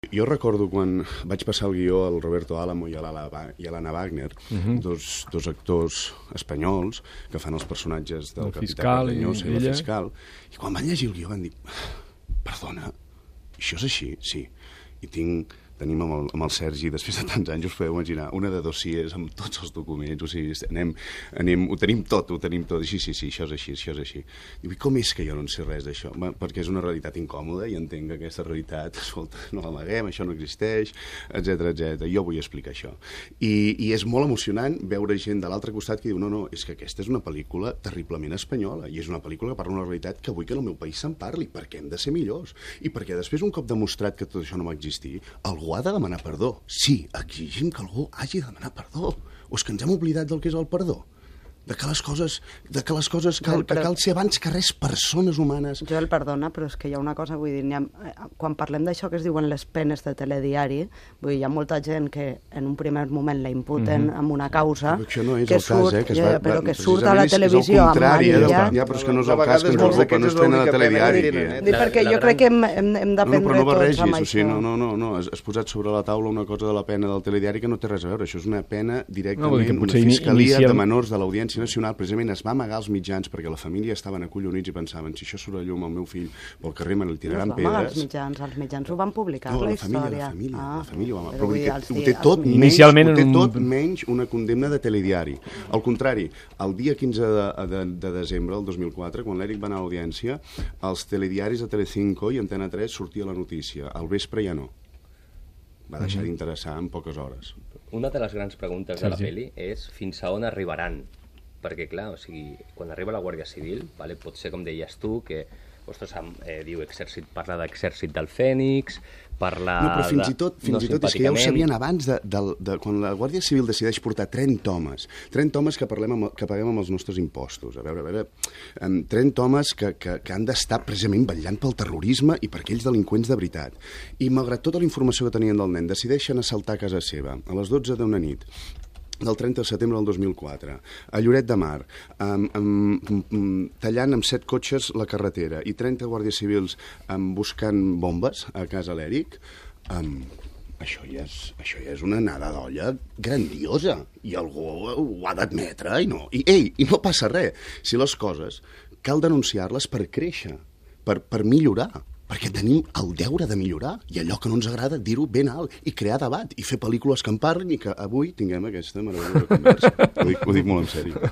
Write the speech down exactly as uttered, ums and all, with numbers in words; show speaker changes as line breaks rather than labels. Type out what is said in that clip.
Jo recordo quan vaig passar el guió al Roberto Álamo i a l'Anna Wagner, uh -huh. dos, dos actors espanyols que fan els personatges del
el
capità
Cardeñosa
i la fiscal, i quan van llegir el guió van dir, perdona, això és així? Sí. I tinc... tenim amb el, amb el Sergi, després de tants anys, us podeu imaginar, una de dossiers amb tots els documents, o sigui, anem, anem, ho tenim tot, ho tenim tot, sí, sí, sí, això és així, això és així. Diu, i com és que jo no en sé res d'això? Perquè és una realitat incòmoda i entenc que aquesta realitat, escolta, no l'amaguem, això no existeix, etcètera, etcètera. Jo vull explicar això. I, I és molt emocionant veure gent de l'altre costat que diu, no, no, és que aquesta és una pel·lícula terriblement espanyola, i és una pel·lícula que parla d'una realitat que vull que en el meu país se'n parli, perquè hem de ser millors. I perquè després, un cop demostrat que tot això no va existir, algú ha de demanar perdó. Sí, exigim que algú hagi de demanar perdó. O és que ens hem oblidat del que és el perdó? De que les coses, de que les coses cal, que cal ser abans que res persones humanes.
Jo el perdona, però és que hi ha una cosa, vull dir, ha, quan parlem d'això que es diuen les penes de telediari, vull dir, hi ha molta gent que en un primer moment la imputen mm-hmm. amb una causa...
Però això no és
que
el
surt,
cas, eh? Que es va,
ja, però que
va,
surt a la televisió amb
marillat... Ja, però és que no és el cas, que ens ocupa, no es prenen a telediari.
Dic, perquè jo crec que hem, hem, hem d'aprendre
no, no,
tots amb
o sigui,
això.
no, no, no, no, has, has posat sobre la taula una cosa de la pena del telediari que no té res a veure. Això és una pena directament, no, una fiscalia inicial... de menors de l'Audiència Nacional, precisament es va amagar els mitjans perquè la família estaven acollonits i pensaven, si això surt a llum al meu fill pel carrer me li tiraran
no
pedres...
Els mitjans, els mitjans ho van publicar,
no,
la,
la
història.
família,
ah,
la família ho va
però
publicar.
dir,
Ho té tot,
els...
menys,
Inicialment
ho té
un...
tot menys una condemna de telediari. Al contrari, el dia quinze de, de, de desembre del dos mil quatre, quan l'Eric va anar a l'audiència, els telediaris de Telecinco i Antena tres sortia la notícia. Al vespre ja no. Va deixar mm-hmm. d'interessar en poques hores.
Una de les grans preguntes sí, de la sí. pel·li és fins a on arribaran. Perquè, clar, o sigui, quan arriba la Guàrdia Civil, vale, pot ser, com deies tu, que ostres, eh, diu exèrcit, parla d'exèrcit del Fènix, parla...
No, però fins i tot, fins
no
i tot és que ja ho sabien abans, de, de, de, quan la Guàrdia Civil decideix portar trenta homes, trenta homes que, parlem amb, que paguem amb els nostres impostos, a veure, a veure, trenta homes que, que, que han d'estar precisament vetllant pel terrorisme i per aquells delinqüents de veritat. I malgrat tota la informació que tenien del nen, decideixen assaltar a casa seva, a les dotze d'una nit, del trenta de setembre del dos mil quatre, a Lloret de Mar, um, um, um, tallant amb set cotxes la carretera i trenta guàrdies civils um, buscant bombes a casa l'Eric, um, això, ja és, això ja és una anada d'olla grandiosa i algú ho ha d'admetre i no, i, ei, i no passa res. Si les coses cal denunciar-les per créixer, per, per millorar, perquè tenim el deure de millorar i allò que no ens agrada dir-ho ben alt i crear debat i fer pel·lícules que en parlin i que avui tinguem aquesta meravellosa conversa. Ho dic, ho dic molt en sèrio.